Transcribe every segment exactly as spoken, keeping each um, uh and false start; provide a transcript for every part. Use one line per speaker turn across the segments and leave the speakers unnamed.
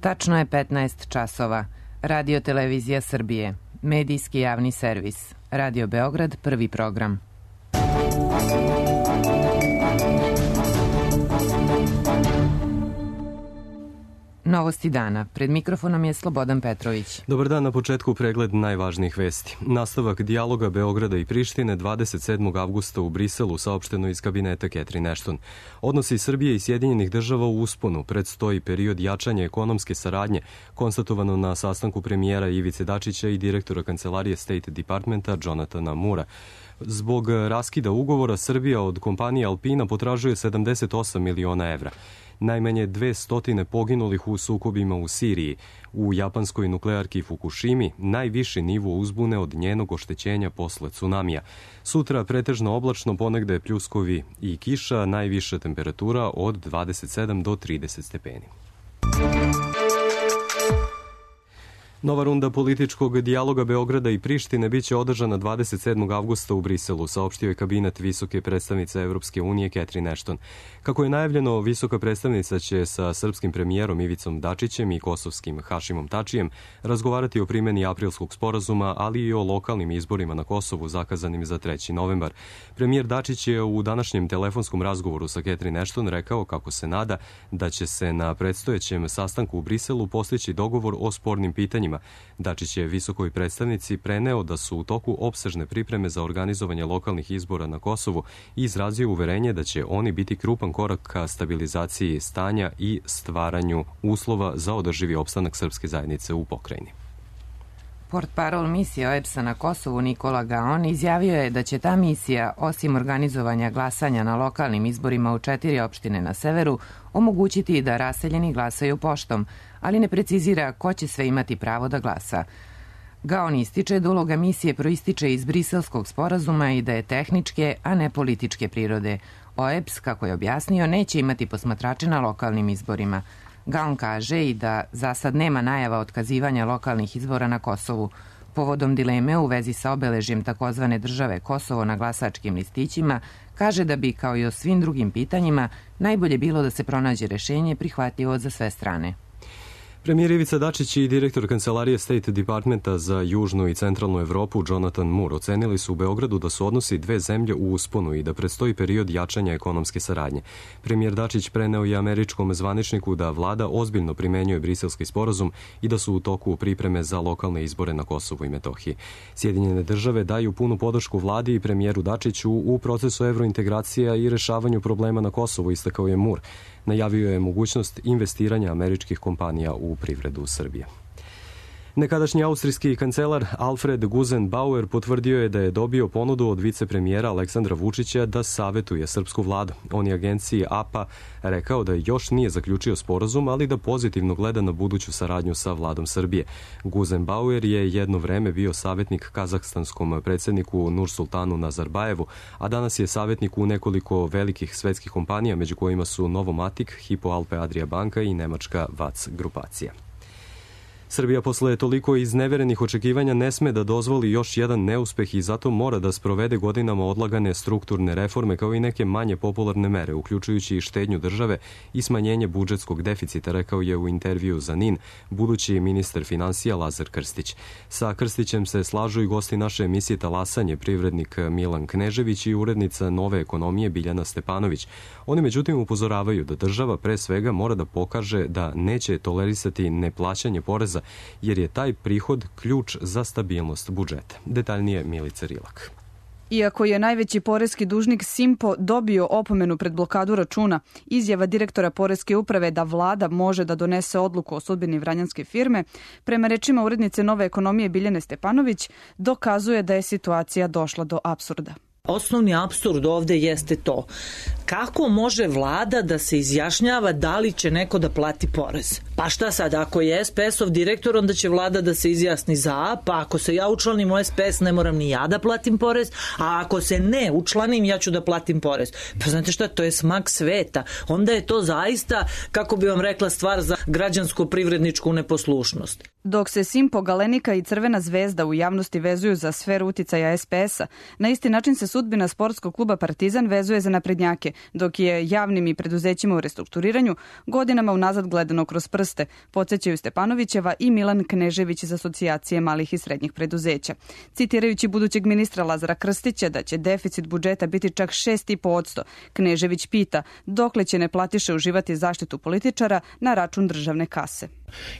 Tačno je petnaest časova. Radio Televizija Srbije. Medijski javni servis. Radio Beograd, prvi program. Novosti dana. Pred mikrofonom je Slobodan Petrović.
Dobar dan, na početku pregled najvažnijih vesti. Nastavak dijaloga Beograda i Prištine dvadeset sedmog avgusta u Briselu, saopšteno iz kabineta Catherine Ashton. Odnosi Srbije i Sjedinjenih država u usponu, predstoji period jačanja ekonomske saradnje, konstatovano na sastanku premijera Ivice Dačića i direktora kancelarije State Departmenta Jonathana Moora. Zbog raskida ugovora Srbija od kompanije Alpina potražuje sedamdeset osam miliona evra. Najmanje dve stotine poginulih u sukobima u Siriji. U japanskoj nuklearki Fukushimi najviši nivo uzbune od njenog oštećenja posle tsunamija. Sutra pretežno oblačno, ponegde pljuskovi i kiša, najviša temperatura od dvadeset sedam do trideset stepeni. Nova runda političkog dijaloga Beograda i Prištine biće održana dvadeset sedmog avgusta u Briselu, saopštio je kabinet visoke predstavnice Evropske unije Catherine Ashton. Kako je najavljeno, visoka predstavnica će sa srpskim premijerom Ivicom Dačićem i kosovskim Hašimom Tačijem razgovarati o primjeni aprilskog sporazuma, ali i o lokalnim izborima na Kosovu zakazanim za treći novembar. Premijer Dačić je u današnjem telefonskom razgovoru sa Catherine Ashton rekao kako se nada da će se na predstojećem sastanku u Briselu postići dogovor o spornim pitanjima. Dačić je visokoj predstavnici preneo da su u toku opsežne pripreme za organizovanje lokalnih izbora na Kosovu i izrazio uverenje da će oni biti krupan korak ka stabilizaciji stanja i stvaranju uslova za održivi opstanak srpske zajednice u pokrajini.
Portparol misije O E B S-a na Kosovu Nikola Gaon izjavio je da će ta misija, osim organizovanja glasanja na lokalnim izborima u četiri opštine na severu, omogućiti da raseljeni glasaju poštom, ali ne precizira ko će sve imati pravo da glasa. Gaon ističe da uloga misije proističe iz Briselskog sporazuma i da je tehničke, a ne političke prirode. O E B S, kako je objasnio, neće imati posmatrače na lokalnim izborima. Gaon kaže i da za sad nema najava otkazivanja lokalnih izbora na Kosovu. Povodom dileme u vezi sa obeležjem takozvane države Kosovo na glasačkim listićima, kaže da bi, kao i o svim drugim pitanjima, najbolje bilo da se pronađe rešenje prihvatljivo za sve strane.
Premijer Ivica Dačić i direktor kancelarije State Departmenta za južnu i centralnu Evropu Jonathan Moore ocenili su u Beogradu da su odnosi dve zemlje u usponu i da predstoji period jačanja ekonomske saradnje. Premijer Dačić preneo i američkom zvaničniku da vlada ozbiljno primenjuje briselski sporazum i da su u toku pripreme za lokalne izbore na Kosovu i Metohiji. Sjedinjene države daju punu podršku vladi i premijeru Dačiću u procesu evrointegracija i rešavanju problema na Kosovu, istakao je Moore. Najavio je mogućnost investiranja američkih kompanija u privredu Srbije. Nekadašnji austrijski kancelar Alfred Gusenbauer potvrdio je da je dobio ponudu od vicepremijera Aleksandra Vučića da savetuje srpsku vladu. On je agenciji A P A rekao da još nije zaključio sporazum, ali da pozitivno gleda na buduću saradnju sa vladom Srbije. Gusenbauer je jedno vreme bio savetnik kazahstanskom predsjedniku Nursultanu Nazarbajevu, a danas je savetnik u nekoliko velikih svetskih kompanija, među kojima su Novomatic, Hypo Alpe Adria banka i nemačka V A C grupacija. Srbija posle toliko izneverenih očekivanja ne sme da dozvoli još jedan neuspeh i zato mora da sprovede godinama odlagane strukturne reforme kao i neke manje popularne mere, uključujući i štednju države i smanjenje budžetskog deficita, rekao je u intervju za N I N budući ministar finansija Lazar Krstić. Sa Krstićem se slažu i gosti naše emisije Talasanje, privrednik Milan Knežević i urednica Nove ekonomije Biljana Stepanović. Oni međutim upozoravaju da država pre svega mora da pokaže da neće tolerisati neplaćanje poreza, jer je taj prihod ključ za stabilnost budžeta. Detaljnije Milica Rilak.
Iako je najveći poreski dužnik Simpo dobio opomenu pred blokadu računa, izjava direktora poreske uprave da vlada može da donese odluku o sudbini vranjanske firme, prema rečima urednice Nove ekonomije Biljane Stepanović, dokazuje da je situacija došla do apsurda.
Osnovni apsurd ovde jeste to. Kako može vlada da se izjašnjava da li će neko da plati porez? Pa šta sad, ako je es pe es-ov direktor, onda će vlada da se izjasni za, pa ako se ja učlanim u es pe es, ne moram ni ja da platim porez, a ako se ne učlanim, ja ću da platim porez. Pa znate šta, to je smak sveta. Onda je to zaista, kako bi vam rekla, stvar za građansko-privredničku neposlušnost.
Dok se Simpo, Galenika i Crvena zvezda u javnosti vezuju za sferu uticaja es pe es-a, na isti način se sudbina sportskog kluba Partizan vezuje za naprednjake, dok je javnim i preduzećima u restrukturiranju godinama unazad gledano kroz prste prste, podsjećaju Stepanovićeva i Milan Knežević iz Asocijacije malih i srednjih preduzeća. Citirajući budućeg ministra Lazara Krstića da će deficit budžeta biti čak šest i po posto, Knežević pita dokle će neplatiše uživati zaštitu političara na račun državne kase.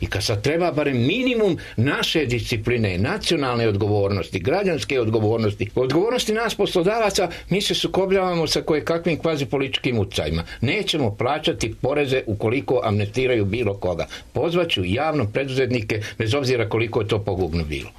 I kad sad treba barem minimum naše discipline, nacionalne odgovornosti, građanske odgovornosti, odgovornosti nas poslodavaca, mi se sukobljavamo sa kojekakvim kvazi političkim utjecajima. Nećemo plaćati poreze ukoliko amnestiraju bilo koga. Pozvaću javno preduzetnike bez obzira koliko je to pogubno bilo.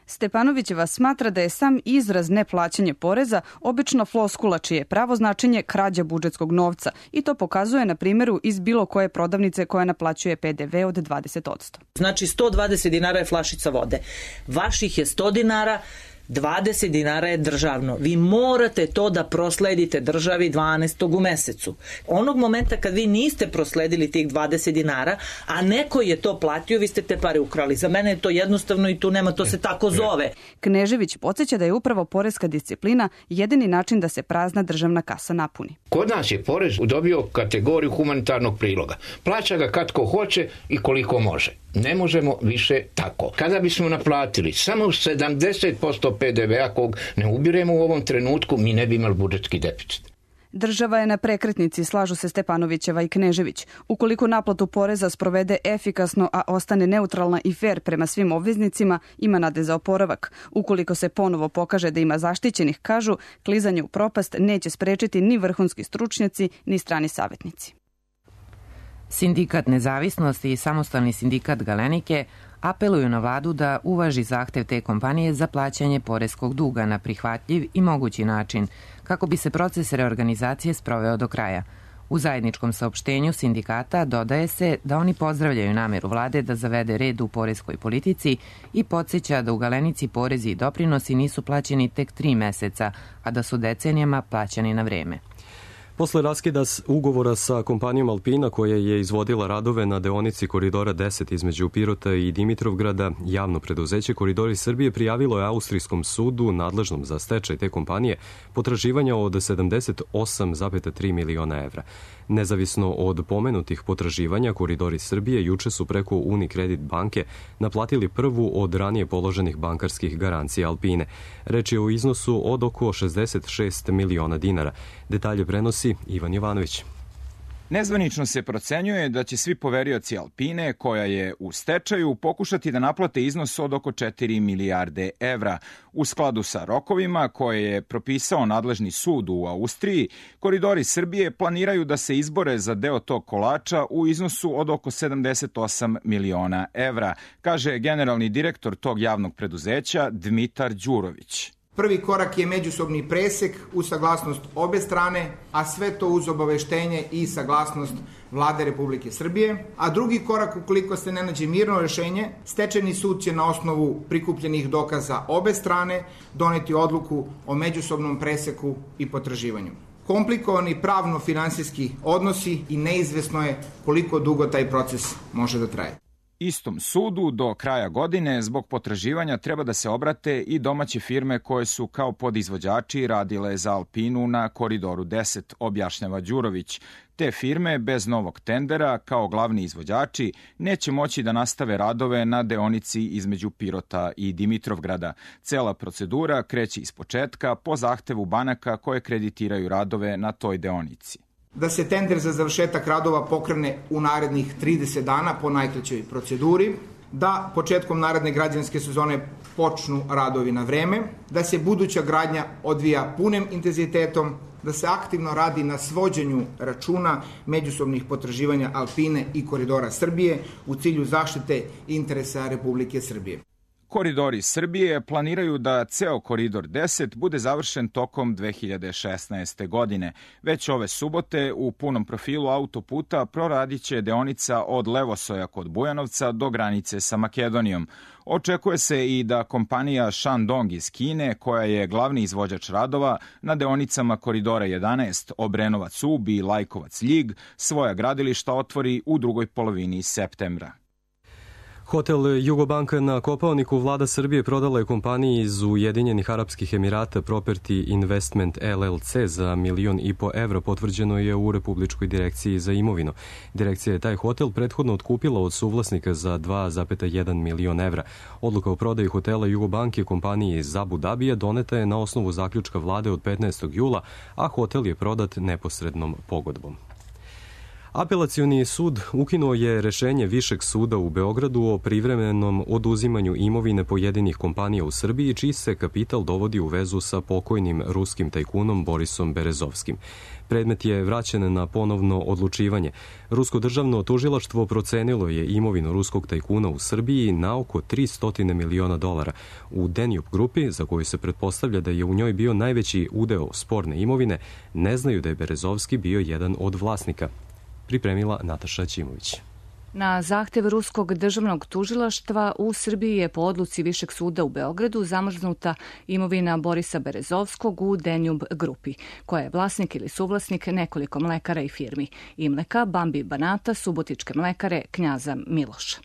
Stepanovićeva smatra da je sam izraz neplaćanje poreza obično floskula čije je pravo značenje krađa budžetskog novca i to pokazuje na primjeru iz bilo koje prodavnice koja naplaćuje P D V od dvadeset posto.
Znači sto dvadeset dinara je flašica vode. Vaših je sto dinara, dvadeset dinara je državno. Vi morate to da prosledite državi dvanaestog u mesecu. Onog momenta kad vi niste prosledili tih dvadeset dinara, a neko je to platio, vi ste te pare ukrali. Za mene je to jednostavno i tu nema, to se tako zove.
Knežević podsjeća da je upravo poreska disciplina jedini način da se prazna državna kasa napuni.
Kod nas je porez dobio kategoriju humanitarnog priloga. Plaća ga kad ko hoće i koliko može. Ne možemo više tako. Kada bismo naplatili samo sedamdeset posto P D V-a kog ne ubiremo u ovom trenutku, mi ne bi imali budžetski deficit.
Država je na prekretnici, slažu se Stepanovićeva i Knežević. Ukoliko naplatu poreza sprovede efikasno, a ostane neutralna i fer prema svim obveznicima, ima nade za oporavak. Ukoliko se ponovo pokaže da ima zaštićenih, kažu, klizanje u propast neće sprečiti ni vrhunski stručnjaci, ni strani savjetnici.
Sindikat Nezavisnosti i samostalni sindikat Galenike apeluju na vladu da uvaži zahtev te kompanije za plaćanje poreskog duga na prihvatljiv i mogući način, kako bi se proces reorganizacije sproveo do kraja. U zajedničkom saopštenju sindikata dodaje se da oni pozdravljaju nameru vlade da zavede red u poreskoj politici i podsjeća da u Galenici porezi i doprinosi nisu plaćeni tek tri meseca, a da su decenijama plaćani na vreme.
Posle raskida ugovora sa kompanijom Alpina koja je izvodila radove na deonici Koridora deset između Pirota i Dimitrovgrada, javno preduzeće Koridori Srbije prijavilo je Austrijskom sudu nadležnom za stečaj te kompanije potraživanja od sedamdeset osam zarez tri miliona evra. Nezavisno od pomenutih potraživanja, Koridori Srbije juče su preko Unicredit banke naplatili prvu od ranije položenih bankarskih garancija Alpine. Reč je o iznosu od oko šezdeset šest miliona dinara. Detalje prenosi Ivan Jovanović.
Nezvanično se procenjuje da će svi poverioci Alpine, koja je u stečaju, pokušati da naplate iznos od oko četiri milijarde evra. U skladu sa rokovima koje je propisao nadležni sud u Austriji, Koridori Srbije planiraju da se izbore za deo tog kolača u iznosu od oko sedamdeset osam miliona evra, kaže generalni direktor tog javnog preduzeća Dmitar Đurović.
Prvi korak je međusobni presek uz saglasnost obe strane, a sve to uz obaveštenje i saglasnost Vlade Republike Srbije. A drugi korak, ukoliko se ne nađe mirno rešenje, stečajni sud će na osnovu prikupljenih dokaza obe strane doneti odluku o međusobnom preseku i potraživanju. Komplikovani pravno-finansijski odnosi i neizvesno je koliko dugo taj proces može da traje.
Istom sudu do kraja godine zbog potraživanja treba da se obrate i domaće firme koje su kao podizvođači radile za Alpinu na Koridoru deset, objašnjava Đurović. Te firme bez novog tendera kao glavni izvođači neće moći da nastave radove na deonici između Pirota i Dimitrovgrada. Cela procedura kreće ispočetka po zahtevu banaka koje kreditiraju radove na toj deonici.
Da se tender za završetak radova pokrene u narednih trideset dana po najkraćoj proceduri, da početkom naredne građanske sezone počnu radovi na vreme, da se buduća gradnja odvija punim intenzitetom, da se aktivno radi na svođenju računa međusobnih potraživanja Alpine i Koridora Srbije u cilju zaštite interesa Republike Srbije.
Koridori Srbije planiraju da ceo Koridor deset bude završen tokom dve hiljade šesnaeste. godine. Već ove subote u punom profilu autoputa proradit će deonica od Levosoja kod Bujanovca do granice sa Makedonijom. Očekuje se i da kompanija Shandong iz Kine, koja je glavni izvođač radova na deonicama Koridora jedanaest Obrenovac-Ub i Lajkovac-Ljig, svoja gradilišta otvori u drugoj polovini septembra.
Hotel Jugobanka na Kopaoniku vlada Srbije prodala je kompaniji iz Ujedinjenih Arapskih Emirata Property Investment L L C za milion i po evra, potvrđeno je u Republičkoj direkciji za imovinu. Direkcija je taj hotel prethodno otkupila od suvlasnika za dva zarez jedan milion evra. Odluka o prodaji hotela Jugobanke kompaniji iz Abu Dabija doneta je na osnovu zaključka vlade od petnaestog jula, a hotel je prodat neposrednom pogodbom. Apelacioni sud ukinuo je rešenje Višeg suda u Beogradu o privremenom oduzimanju imovine pojedinih kompanija u Srbiji, čiji se kapital dovodi u vezu sa pokojnim ruskim tajkunom Borisom Berezovskim. Predmet je vraćen na ponovno odlučivanje. Rusko državno tužilaštvo procenilo je imovinu ruskog tajkuna u Srbiji na oko tristo miliona dolara. U Denjup grupi, za koju se pretpostavlja da je u njoj bio najveći udeo sporne imovine, ne znaju da je Berezovski bio jedan od vlasnika. Pripremila Nataša Ćimović.
Na zahtev Ruskog državnog tužilaštva u Srbiji je po odluci Višeg suda u Beogradu zamrznuta imovina Borisa Berezovskog u Denjub grupi, koja je vlasnik ili suvlasnik nekoliko mlekara i firmi: Imleka, Bambi Banata, Subotičke mlekare, Knjaza Miloša.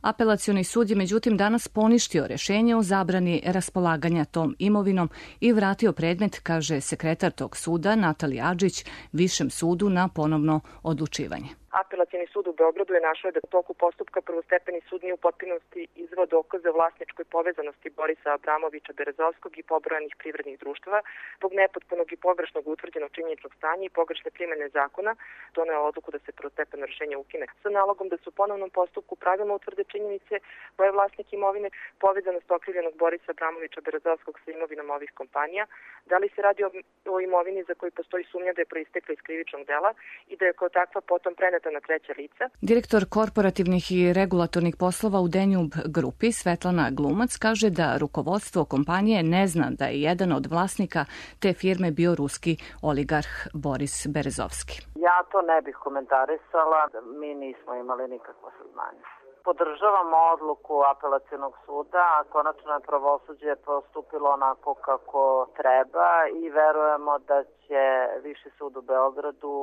Apelacioni sud je međutim danas poništio rešenje o zabrani raspolaganja tom imovinom i vratio predmet, kaže sekretar tog suda Natalija Adžić, Višem sudu na ponovno odlučivanje.
Apelacioni sud u Beogradu je našao da u toku postupka prvostepeni sud nije u potpunosti izveo dokaze o vlasničkoj povezanosti Borisa Abramovića Berezovskog i pobrojanih privrednih društava zbog nepotpunog i pogrešnog utvrđenog činjeničnog stanja i pogrešne primene zakona. Doneo odluku da se prvostepeno rešenje ukine sa nalogom da se u ponovnom postupku pravilno utvrde činjenice ko je vlasnik imovine, povezanost okrivljenog Borisa Abramovića Berezovskog sa imovinom ovih kompanija, da li se radi o, o imovini za koju postoji sumnja da je proistekla iz krivičnog dela i da je kao takva potom preneta na treća lica.
Direktor korporativnih i regulatornih poslova u Denjub grupi Svetlana Glumac kaže da rukovodstvo kompanije ne zna da je jedan od vlasnika te firme bio ruski oligarh Boris Berezovski.
Ja to ne bih komentarisala, mi nismo imali nikakvo saznanje. Podržavamo odluku apelacionog suda, a konačno je pravosuđe postupilo onako kako treba i verujemo da će Viši sud u Beogradu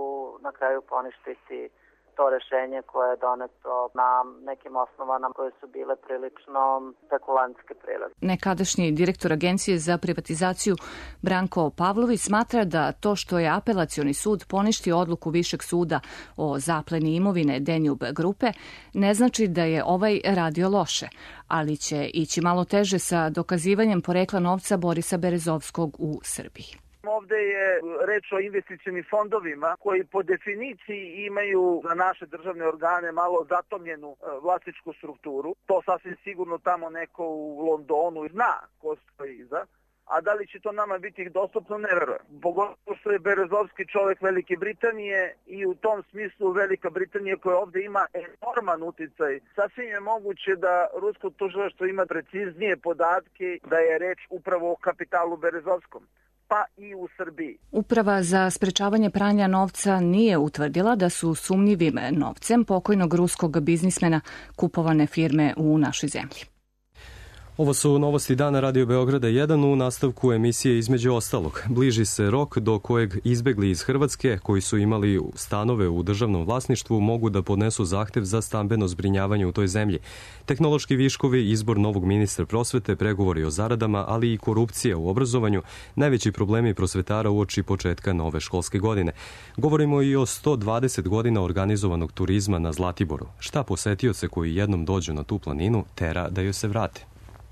na kraju poništiti to rešenje koje je doneto na nekim osnovama koje su bile prilično spekulantske prirode.
Nekadašnji direktor Agencije za privatizaciju Branko Pavlović smatra da to što je apelacioni sud poništio odluku Višeg suda o zapleni imovine Denjub grupe ne znači da je ovaj radio loše, ali će ići malo teže sa dokazivanjem porekla novca Borisa Berezovskog u Srbiji.
Ovde je reč o investicionim fondovima koji po definiciji imaju za naše državne organe malo zatomljenu vlasničku strukturu. To sasvim sigurno tamo neko u Londonu zna ko stoji iza. A da li će to nama biti dostupno, ne verujem. Pogotovo što je Berezovski čovjek Velike Britanije i u tom smislu Velika Britanija koja ovde ima enorman uticaj. Sasvim je moguće da rusko tužilaštvo ima preciznije podatke da je reč upravo o kapitalu Berezovskom, pa i u Srbiji.
Uprava za sprečavanje pranja novca nije utvrdila da su sumnjivim novcem pokojnog ruskog biznismena kupovane firme u našoj zemlji.
Ovo su novosti dana Radio Beograda jedan u nastavku emisije između ostalog. Bliži se rok do kojeg izbegli iz Hrvatske koji su imali stanove u državnom vlasništvu mogu da podnesu zahtev za stambeno zbrinjavanje u toj zemlji. Tehnološki viškovi, izbor novog ministra prosvete, pregovori o zaradama, ali i korupcija u obrazovanju, najveći problemi prosvetara uoči početka nove školske godine. Govorimo i o sto dvadeset godina organizovanog turizma na Zlatiboru. Šta posetioce koji jednom dođu na tu planinu tera da joj se vrate?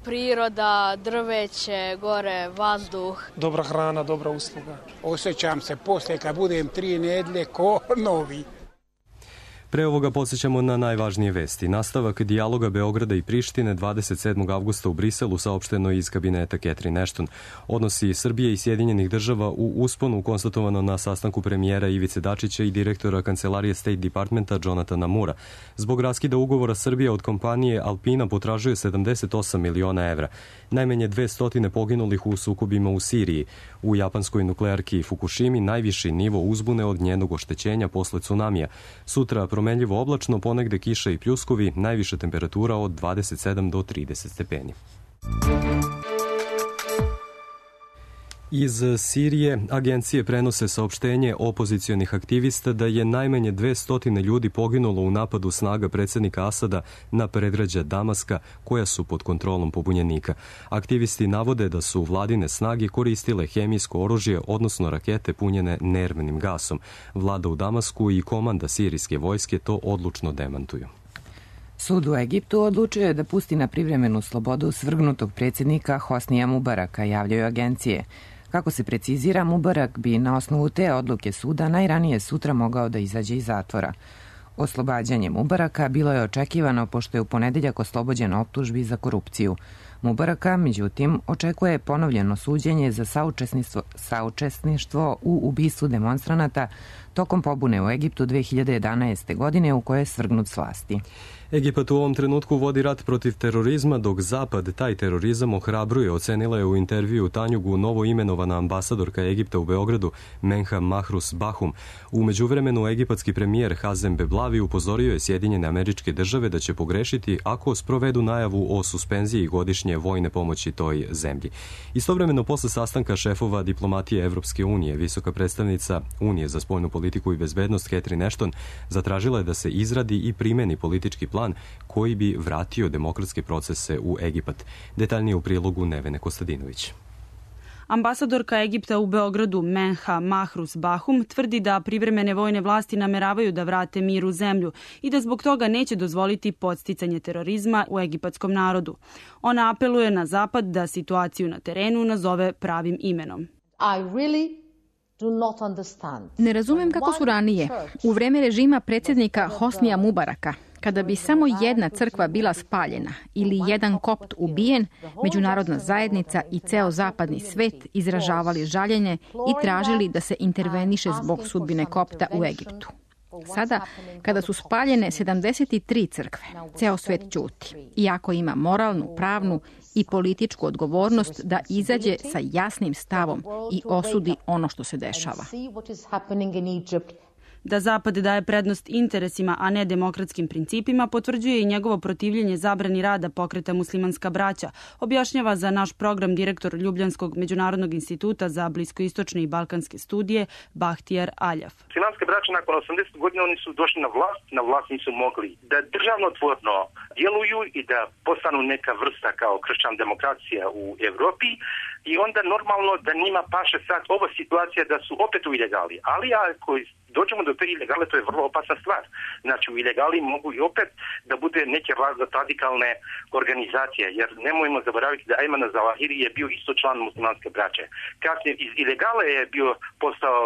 Priroda, drveće, gore, vazduh.
Dobra hrana, dobra usluga.
Osjećam se posle kad budem tri nedlje ko novi.
Pre ovoga podsjećamo na najvažnije vesti. Nastavak dijaloga Beograda i Prištine dvadeset sedmog avgusta u Briselu saopšteno iz kabineta Catherine Ashton. Odnosi Srbije i Sjedinjenih država u usponu konstatovano na sastanku premijera Ivice Dačića i direktora kancelarije State Departmenta Jonathana Moora. Zbog raskida ugovora Srbija od kompanije Alpina potražuje sedamdeset osam miliona evra. Najmanje dvesta poginulih u sukobima u Siriji. U japanskoj nuklearki Fukushimi najviši nivo uzbune od njenog oštećenja posle tsunamija. Sutra promenljivo oblačno, ponegde kiša i pljuskovi, najviša temperatura od dvadeset sedam do trideset stepeni. Iz Sirije agencije prenose saopštenje opozicionih aktivista da je najmanje dvesta ljudi poginulo u napadu snaga predsjednika Asada na predgrađa Damaska koja su pod kontrolom pobunjenika. Aktivisti navode da su vladine snage koristile hemijsko oružje, odnosno rakete punjene nervnim gasom. Vlada u Damasku i komanda sirijske vojske to odlučno demantuju.
Sud u Egiptu odlučio je da pusti na privremenu slobodu svrgnutog predsjednika Hosnija Mubaraka, javljaju agencije. Kako se precizira, Mubarak bi na osnovu te odluke suda najranije sutra mogao da izađe iz zatvora. Oslobađanje Mubaraka bilo je očekivano pošto je u ponedeljak oslobođen optužbi za korupciju. Mubaraka, međutim, očekuje ponovljeno suđenje za saučesništvo, saučesništvo u ubistvu demonstranata tokom pobune u Egiptu dve hiljade jedanaeste. godine u kojoj je svrgnut s vlasti.
Egipat u ovom trenutku vodi rat protiv terorizma, dok Zapad taj terorizam ohrabruje, ocenila je u intervju Tanjugu novo imenovana ambasadorka Egipta u Beogradu Menha Mahrus Bahum. U međuvremenu egipatski premijer Hazem Beblavi upozorio je Sjedinjene Američke Države da će pogrešiti ako sprovedu najavu o suspenziji godišnje vojne pomoći toj zemlji. Istovremeno, posle sastanka šefova diplomatije Evropske unije, visoka predstavnica Unije za spoljnu politiku i bezbednost Catherine Ashton zatražila je da se izradi i primeni politički plan koji bi vratio demokratske procese u Egipat. Detaljnije u prilogu Nevene Kostadinović.
Ambasadorka Egipta u Beogradu Menha Mahrus Bahum tvrdi da privremene vojne vlasti nameravaju da vrate mir u zemlju i da zbog toga neće dozvoliti podsticanje terorizma u egipatskom narodu. Ona apeluje na Zapad da situaciju na terenu nazove pravim imenom.
I really Ne razumem kako su ranije, u vreme režima predsjednika Hosnija Mubaraka, kada bi samo jedna crkva bila spaljena ili jedan kopt ubijen, međunarodna zajednica i ceo zapadni svet izražavali žaljenje i tražili da se interveniše zbog sudbine kopta u Egiptu. Sada, kada su spaljene sedamdeset tri crkve, ceo svet ćuti, iako ima moralnu, pravnu i političku odgovornost da izađe sa jasnim stavom i osudi ono što se dešava.
Da Zapad daje prednost interesima, a ne demokratskim principima, potvrđuje i njegovo protivljenje zabrani rada pokreta Muslimanska braća, objašnjava za naš program direktor Ljubljanskog međunarodnog instituta za bliskoistočne i balkanske studije Bahtijar Aljaf.
Muslimanske braće nakon osamdeset godina oni su došli na vlast, na vlast nisu mogli da državnotvorno djeluju i da postanu neka vrsta kao kršćan demokracija u Evropi i onda normalno da njima paše sad ova situacija da su opet u ilegali, ali ako dođemo do te ilegale, to je vrlo opasna stvar. Znači, u ilegali mogu i opet da bude neke različite radikalne organizacije, jer nemojmo zaboraviti da Ayman Zawahiri je bio isto član muslimanske braće. Kasnije iz ilegale je bio postao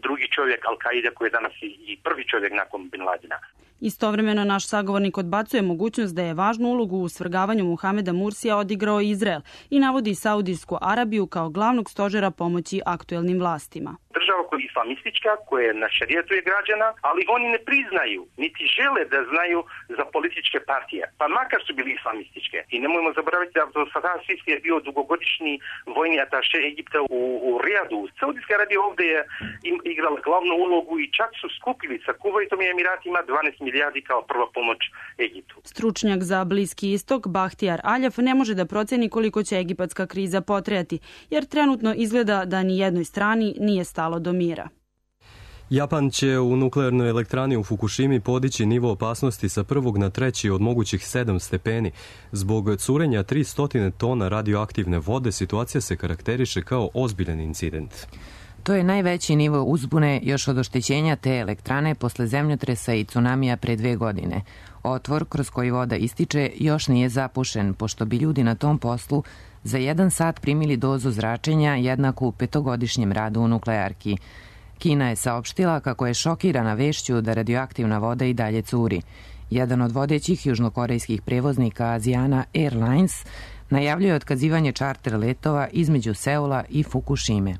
drugi čovjek Al-Qaida koji je danas i prvi čovjek nakon Bin Ladena.
Istovremeno naš sagovornik odbacuje mogućnost da je važnu ulogu u svrgavanju Muhameda Mursija odigrao Izrael i navodi Saudijsku Arabiju kao glavnog stožera pomoći aktuelnim vlastima.
Država koja je islamistička, koja je na šerijetu je građana, ali oni ne priznaju, niti žele da znaju za političke partije, pa makar su bili islamističke. I nemojmo zaboraviti da Saddam Sisi je bio dugogodišnji vojni ataše Egipta u, u Rijadu. Saudijska Arabija ovdje je igrala glavnu ulogu i čak su skupili sa Kuvajtom i Emiratima dvanaest milijardi kao prva pomoć Egiptu.
Stručnjak za Bliski istok Bahtijar Aljaf ne može da proceni koliko će egipatska kriza potrajati, jer trenutno izgleda da ni jednoj strani nije stalo do mira.
Japan će u nuklearnoj elektrani u Fukushimi podići nivo opasnosti sa prvog na treći od mogućih sedam stepeni. Zbog curenja tristo tona radioaktivne vode situacija se karakteriše kao ozbiljan incident.
To je najveći nivo uzbune još od oštećenja te elektrane posle zemljotresa i tsunamija pre dve godine. Otvor kroz koji voda ističe još nije zapušen, pošto bi ljudi na tom poslu za jedan sat primili dozu zračenja jednaku petogodišnjem radu u nuklearki. Kina je saopštila kako je šokirana vešću da radioaktivna voda i dalje curi. Jedan od vodećih južnokorejskih prevoznika Asiana Airlines najavljuje otkazivanje čarter letova između Seula i Fukushime.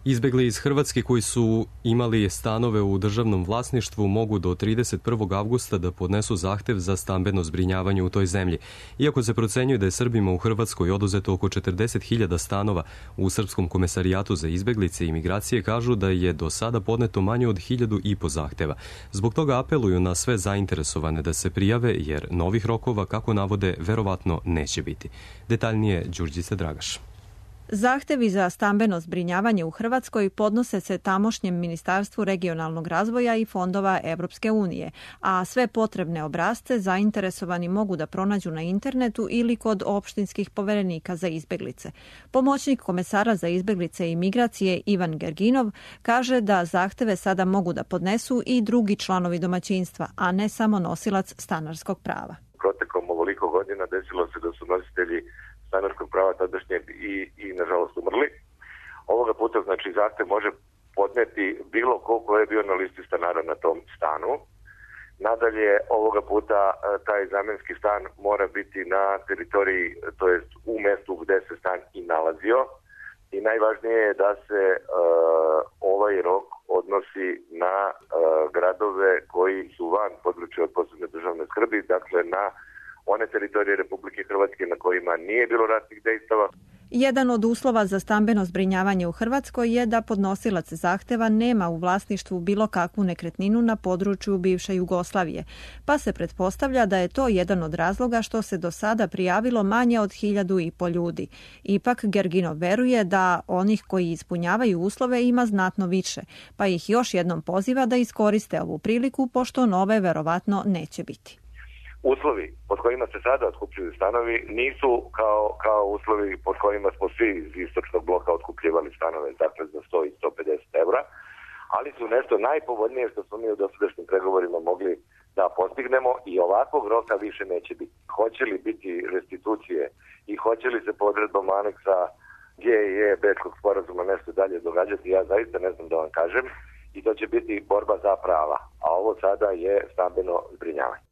Izbegli iz Hrvatske koji su imali stanove u državnom vlasništvu mogu do trideset prvog avgusta da podnesu zahtev za stambeno zbrinjavanje u toj zemlji. Iako se procenjuje da je Srbima u Hrvatskoj oduzeto oko četrdeset hiljada stanova, u Srpskom komesarijatu za izbeglice i migracije kažu da je do sada podneto manje od hiljadu i po zahteva. Zbog toga apeluju na sve zainteresovane da se prijave, jer novih rokova, kako navode, verovatno neće biti. Detaljnije Đurđica Dragaš.
Zahtevi za stambeno zbrinjavanje u Hrvatskoj podnose se tamošnjem Ministarstvu regionalnog razvoja i fondova Evropske unije, a sve potrebne obrasce zainteresovani mogu da pronađu na internetu ili kod opštinskih poverenika za izbeglice. Pomoćnik komesara za izbeglice i migracije Ivan Gerginov kaže da zahteve sada mogu da podnesu i drugi članovi domaćinstva, a ne samo nosilac stanarskog prava.
Protekom ovoliko godina desilo se da su nositelji stanarskog prava tadašnjeg i, i nažalost umrli. Ovoga puta znači zahtev može podneti bilo ko ko je bio na listi stanara na tom stanu. Nadalje, ovoga puta taj zamenski stan mora biti na teritoriji, to jest u mestu gde se stan i nalazio. I najvažnije je da se uh, ovaj rok odnosi na uh, gradove koji su van područja od posebne državne skrbi, dakle na one teritorije Republike Hrvatske na kojima nije bilo ratnih dejstava.
Jedan od uslova za stambeno zbrinjavanje u Hrvatskoj je da podnosilac zahteva nema u vlasništvu bilo kakvu nekretninu na području bivše Jugoslavije, pa se pretpostavlja da je to jedan od razloga što se do sada prijavilo manje od hiljadu i po ljudi. Ipak Gerginov veruje da onih koji ispunjavaju uslove ima znatno više, pa ih još jednom poziva da iskoriste ovu priliku, pošto nove verovatno neće biti.
Uslovi pod kojima se sada otkupljuju stanovi nisu kao, kao uslovi pod kojima smo svi iz istočnog bloka otkupljivali stanove, dakle za sto i sto pedeset evra, ali su nešto najpovoljnije što smo mi u dosadašnjim pregovorima mogli da postignemo i ovakvog roka više neće biti. Hoće li biti restitucije i hoće li se po odredbama aneksa G i E Bečkog sporazuma nešto dalje događati, ja zaista ne znam da vam kažem, i to će biti borba za prava, a ovo sada je stambeno zbrinjavanje.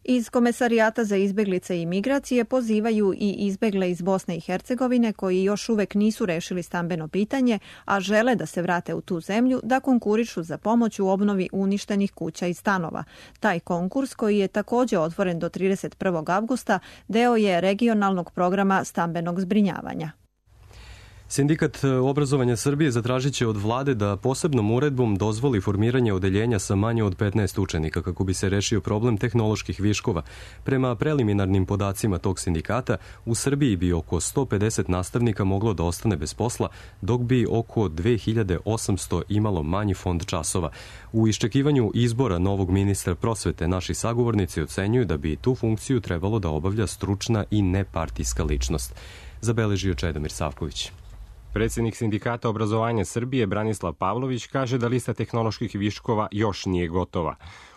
Iz Komesarijata za izbeglice i migracije pozivaju i izbegle iz Bosne i Hercegovine koji još uvek nisu rešili stambeno pitanje, a žele da se vrate u tu zemlju, da konkurišu za pomoć u obnovi uništenih kuća i stanova. Taj konkurs, koji je takođe otvoren do trideset prvog avgusta, deo je regionalnog programa stambenog zbrinjavanja.
Sindikat obrazovanja Srbije zatražit će od vlade da posebnom uredbom dozvoli formiranje odeljenja sa manje od petnaest učenika kako bi se rešio problem tehnoloških viškova. Prema preliminarnim podacima tog sindikata, u Srbiji bi oko sto pedeset nastavnika moglo da ostane bez posla, dok bi oko dve hiljade osamsto imalo manji fond časova. U iščekivanju izbora novog ministra prosvete naši sagovornici ocenjuju da bi tu funkciju trebalo da obavlja stručna i nepartijska ličnost. Zabeležio Čedomir Savković.
Predsjednik Sindikata obrazovanja Srbije Branislav Pavlović kaže da lista tehnoloških viškova još nije gotova.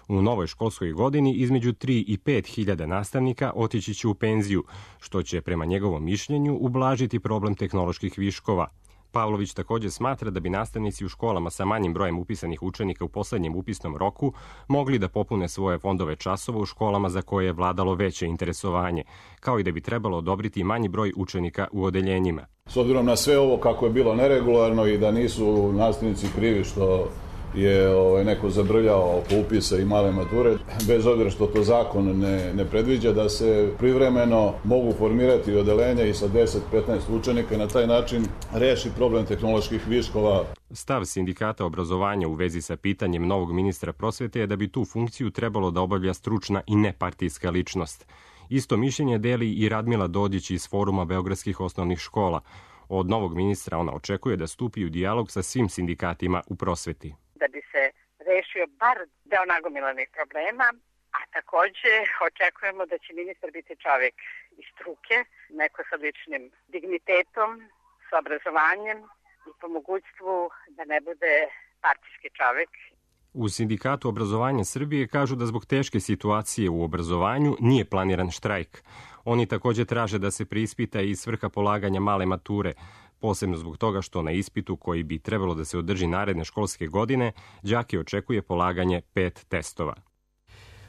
U novoj školskoj godini između tri i pet hiljada nastavnika otići će u penziju, što će prema njegovom mišljenju ublažiti problem tehnoloških viškova. Pavlović također smatra da bi nastavnici u školama sa manjim brojem upisanih učenika u poslednjem upisnom roku mogli da popune svoje fondove časova u školama za koje je vladalo veće interesovanje, kao i da bi trebalo odobriti manji broj učenika u odeljenjima.
S obzirom na sve ovo kako je bilo neregularno i da nisu nastavnici krivi što je ovaj, neko zabrljao oko upisa i male mature, bez obzira što to zakon ne, ne predviđa, da se privremeno mogu formirati odeljenja i sa deset do petnaest učenika i na taj način reši problem tehnoloških viškova.
Stav Sindikata obrazovanja u vezi sa pitanjem novog ministra prosvete je da bi tu funkciju trebalo da obavlja stručna i nepartijska ličnost. Isto mišljenje deli i Radmila Dodić iz Foruma beogradskih osnovnih škola. Od novog ministra ona očekuje da stupi u dijalog sa svim sindikatima u prosveti.
Da bi se rešio bar deo nagomilanih problema, a takođe očekujemo da će ministar biti čovjek iz struke, neko sa ličnim dignitetom, sa obrazovanjem i po mogućstvu da ne bude partijski čovjek.
U Sindikatu obrazovanja Srbije kažu da zbog teške situacije u obrazovanju nije planiran štrajk. Oni također traže da se preispita i svrha polaganja male mature, posebno zbog toga što na ispitu koji bi trebalo da se održi naredne školske godine, đake očekuje polaganje pet testova.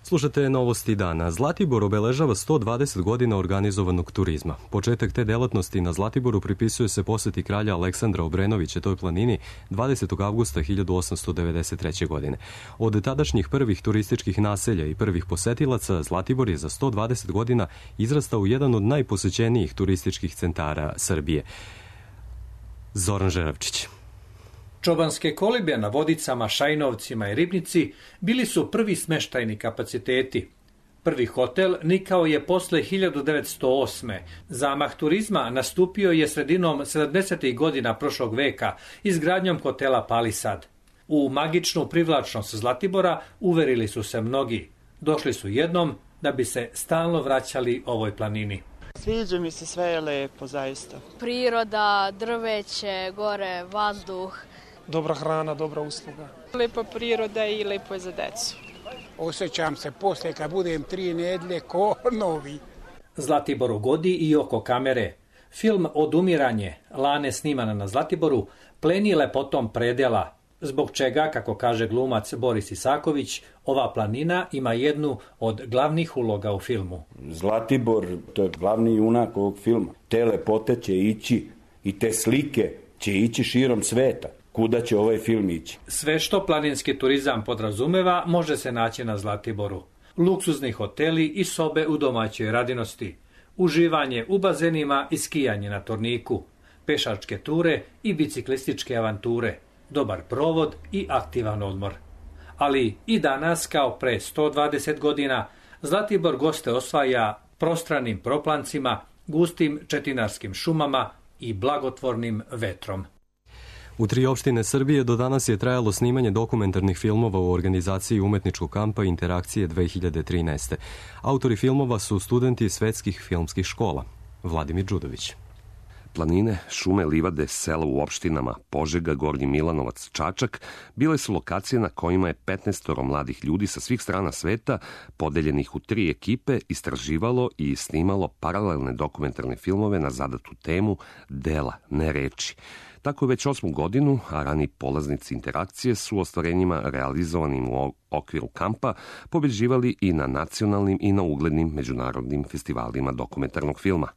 Slušate novosti dana. Zlatibor obeležava sto dvadeset godina organizovanog turizma. Početak te delatnosti na Zlatiboru pripisuje se poseti kralja Aleksandra Obrenovića toj planini dvadesetog avgusta hiljadu osamsto devedeset treće. godine. Od tadašnjih prvih turističkih naselja i prvih posetilaca, Zlatibor je za sto dvadeset godina izrastao u jedan od najposećenijih turističkih centara Srbije. Zoran Žeravčić.
Čobanske kolibe na Vodicama, Šajnovcima i Ribnici bili su prvi smeštajni kapaciteti. Prvi hotel nikao je posle hiljadu devetsto osme. Zamah turizma nastupio je sredinom sedamdesetih godina prošlog veka izgradnjom hotela Palisad. U magičnu privlačnost Zlatibora uverili su se mnogi. Došli su jednom da bi se stalno vraćali ovoj planini.
Sviđa mi se, sve je lepo, zaista.
Priroda, drveće, gore, vazduh.
Dobra hrana, dobra usluga.
Lepa priroda i lepo je za decu.
Osjećam se posle kad budem tri nedlje ko novi.
Zlatiboru godi i oko kamere. Film Odumiranje, Lane snimana na Zlatiboru, pleni lepotom predela, zbog čega, kako kaže glumac Boris Isaković, ova planina ima jednu od glavnih uloga u filmu.
Zlatibor, to je glavni junak ovog filma. Te lepote će ići i te slike će ići širom sveta. Kuda će ovaj film ići?
Sve što planinski turizam podrazumeva može se naći na Zlatiboru. Luksuzni hoteli i sobe u domaćoj radinosti. Uživanje u bazenima i skijanje na Torniku. Pešačke ture i biciklističke avanture. Dobar provod i aktivan odmor. Ali i danas, kao pre sto dvadeset godina, Zlatibor goste osvaja prostranim proplancima, gustim četinarskim šumama i blagotvornim vetrom.
U tri opštine Srbije do danas je trajalo snimanje dokumentarnih filmova u organizaciji umetničkog kampa Interakcije dve hiljade trinaeste. Autori filmova su studenti svetskih filmskih škola. Vladimir Đudović.
Planine, šume, livade, sela u opštinama Požega, Gornji Milanovac, Čačak bile su lokacije na kojima je petnaestoro mladih ljudi sa svih strana sveta, podeljenih u tri ekipe, istraživalo i snimalo paralelne dokumentarne filmove na zadatu temu dela, ne reči. Tako već osmu godinu, a rani polaznici Interakcije su ostvarenjima realizovanim u okviru kampa pobeđivali i na nacionalnim i na uglednim međunarodnim festivalima dokumentarnog filma.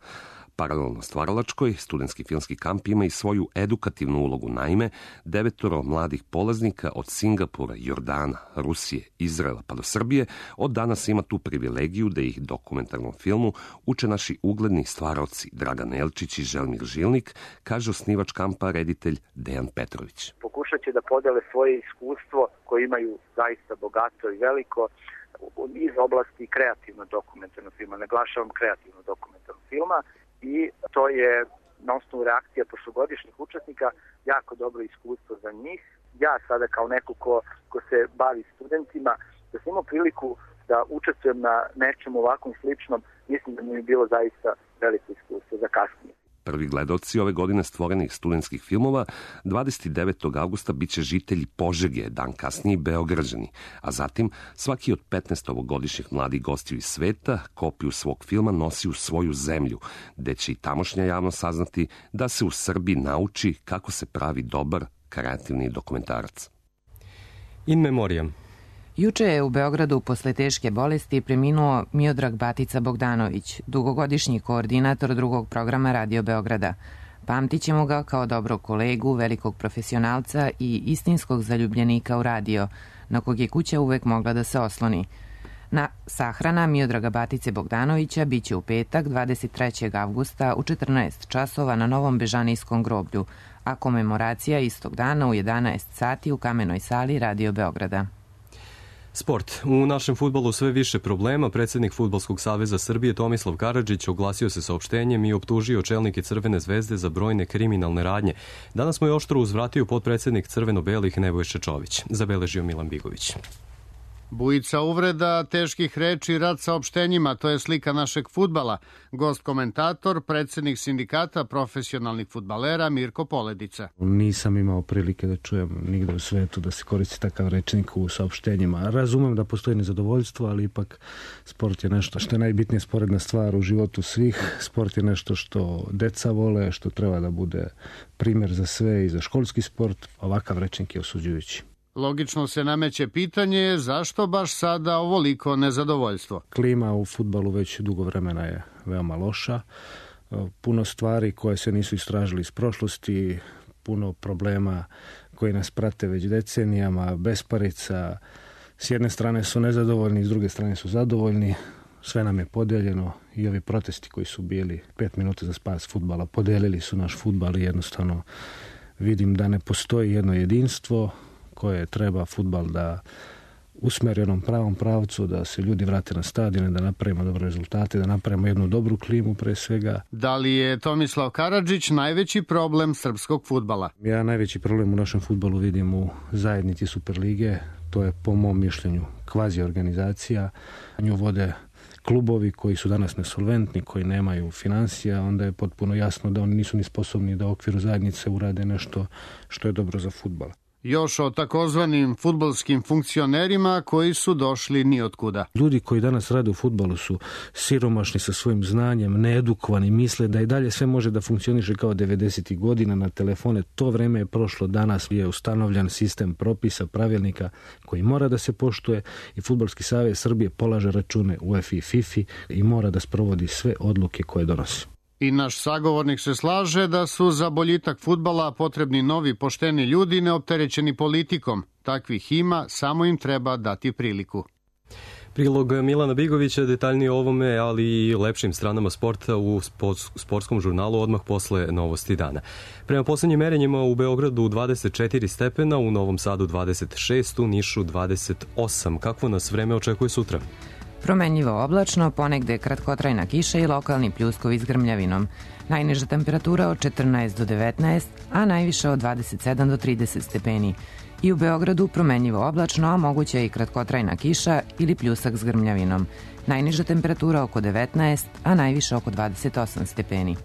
Paralelno stvaralačkoj, studentski filmski kamp ima i svoju edukativnu ulogu. Naime, devetoro mladih polaznika od Singapura, Jordana, Rusije, Izraela pa do Srbije od danas ima tu privilegiju da ih dokumentarnom filmu uče naši ugledni stvaraoci Dragan Elčić i Želimir Žilnik, kaže osnivač kampa reditelj Dejan Petrović.
Pokušat će da podele svoje iskustvo koje imaju zaista bogato i veliko iz oblasti kreativnog dokumentarnog filma. Naglašavam kreativnog dokumentarnog filma. I to je na osnovu reakcija prošlogodišnjih učesnika jako dobro iskustvo za njih. Ja sada kao neko ko, ko se bavi studentima, da sam imao priliku da učestvujem na nečem ovakvom sličnom, mislim da mi je bilo zaista veliko iskustvo za kasnije.
Prvi gledalci ove godine stvorenih studentskih filmova dvadeset devetog avgusta biće žitelji Požege, dan kasnije Beograđani, a zatim svaki od petnaest ovogodišnjih mladih gostiju iz sveta kopiju svog filma nosi u svoju zemlju, gde će i tamošnja javnost saznati da se u Srbiji nauči kako se pravi dobar, kreativni dokumentarac.
In memoriam.
Juče je u Beogradu posle teške bolesti preminuo Miodrag Batica Bogdanović, dugogodišnji koordinator drugog programa Radio Beograda. Pamtićemo ga kao dobrog kolegu, velikog profesionalca i istinskog zaljubljenika u radio, na kog je kuća uvek mogla da se osloni. Na sahrana Miodraga Batice Bogdanovića biće u petak dvadeset trećeg avgusta u četrnaest časova na Novom Bežanijskom groblju, a komemoracija istog dana u jedanaest sati u Kamenoj sali Radio Beograda.
Sport. U našem fudbalu sve više problema. Predsednik Fudbalskog saveza Srbije Tomislav Karadžić oglasio se saopštenjem i optužio čelnike Crvene zvezde za brojne kriminalne radnje. Danas mu je oštro uzvratio potpredsednik Crveno-belih Nebojša Čović, zabeležio Milan Bigović.
Bujica uvreda, teških reči, rad saopštenjima, to je slika našeg fudbala. Gost komentator, predsednik sindikata profesionalnih fudbalera Mirko Poledica.
Nisam imao prilike da čujem nigde u svetu da se koristi takav rečnik u saopštenjima. Razumem da postoji nezadovoljstvo, ali ipak sport je nešto što je najbitnije sporedna stvar u životu svih. Sport je nešto što deca vole, što treba da bude primer za sve i za školski sport. Ovakav rečnik je osuđujući.
Logično se nameće pitanje zašto baš sada ovoliko nezadovoljstvo.
Klima u fudbalu već dugo vremena je veoma loša. Puno stvari koje se nisu istražili iz prošlosti, puno problema koji nas prate već decenijama, besparica. S jedne strane su nezadovoljni, s druge strane su zadovoljni. Sve nam je podijeljeno i ovi protesti koji su bili pet minuta za spas fudbala podijelili su naš fudbal i jednostavno vidim da ne postoji jedno jedinstvo koje treba fudbal da usmeri onom pravom pravcu, da se ljudi vrate na stadione, da napravimo dobre rezultate, da napravimo jednu dobru klimu pre svega.
Da li je Tomislav Karadžić najveći problem srpskog fudbala?
Ja najveći problem u našem fudbalu vidim u zajednici Superlige. To je po mom mišljenju kvazi organizacija. Nju vode klubovi koji su danas nesolventni, koji nemaju financija, onda je potpuno jasno da oni nisu ni sposobni da u okviru zajednice urade nešto što je dobro za fudbal.
Još o takozvanim fudbalskim funkcionerima koji su došli nijotkuda.
Ljudi koji danas rade u fudbalu su siromašni sa svojim znanjem, needukovani, misle da i dalje sve može da funkcioniše kao devedesetih godina na telefone. To vreme je prošlo, danas je ustanovljen sistem propisa, pravilnika koji mora da se poštuje i Fudbalski savez Srbije polaže račune UEFA i FIFA i mora da sprovodi sve odluke koje donosi.
I naš sagovornik se slaže da su za boljitak fudbala potrebni novi pošteni ljudi neopterećeni politikom. Takvih ima, samo im treba dati priliku.
Prilog Milana Bigovića detaljnije o ovome, ali i lepšim stranama sporta u sportskom žurnalu odmah posle novosti dana. Prema poslednjim merenjima u Beogradu dvadeset četiri stepena, u Novom Sadu dvadeset šest, u Nišu dvadeset osam. Kakvo nas vreme očekuje sutra?
Promenljivo oblačno, ponegde kratkotrajna kiša i lokalni pljuskovi s grmljavinom. Najniža temperatura od četrnaest do devetnaest, a najviša od dvadeset sedam do trideset stepeni. I u Beogradu promenljivo oblačno, a moguća i kratkotrajna kiša ili pljusak s grmljavinom. Najniža temperatura oko devetnaest, a najviša oko dvadeset osam stepeni.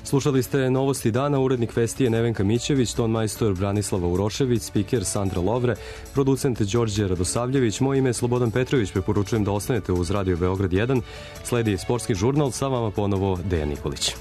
Slušali ste novosti dana, urednik Vesti je Nevenka Mićević, ton majstor Branislava Urošević, spiker Sandra Lovre, producent Đorđe Radosavljević, moje ime je Slobodan Petrović, preporučujem da ostanete uz Radio Beograd jedan, sledi sportski žurnal, sa vama ponovo Dejan Nikolić.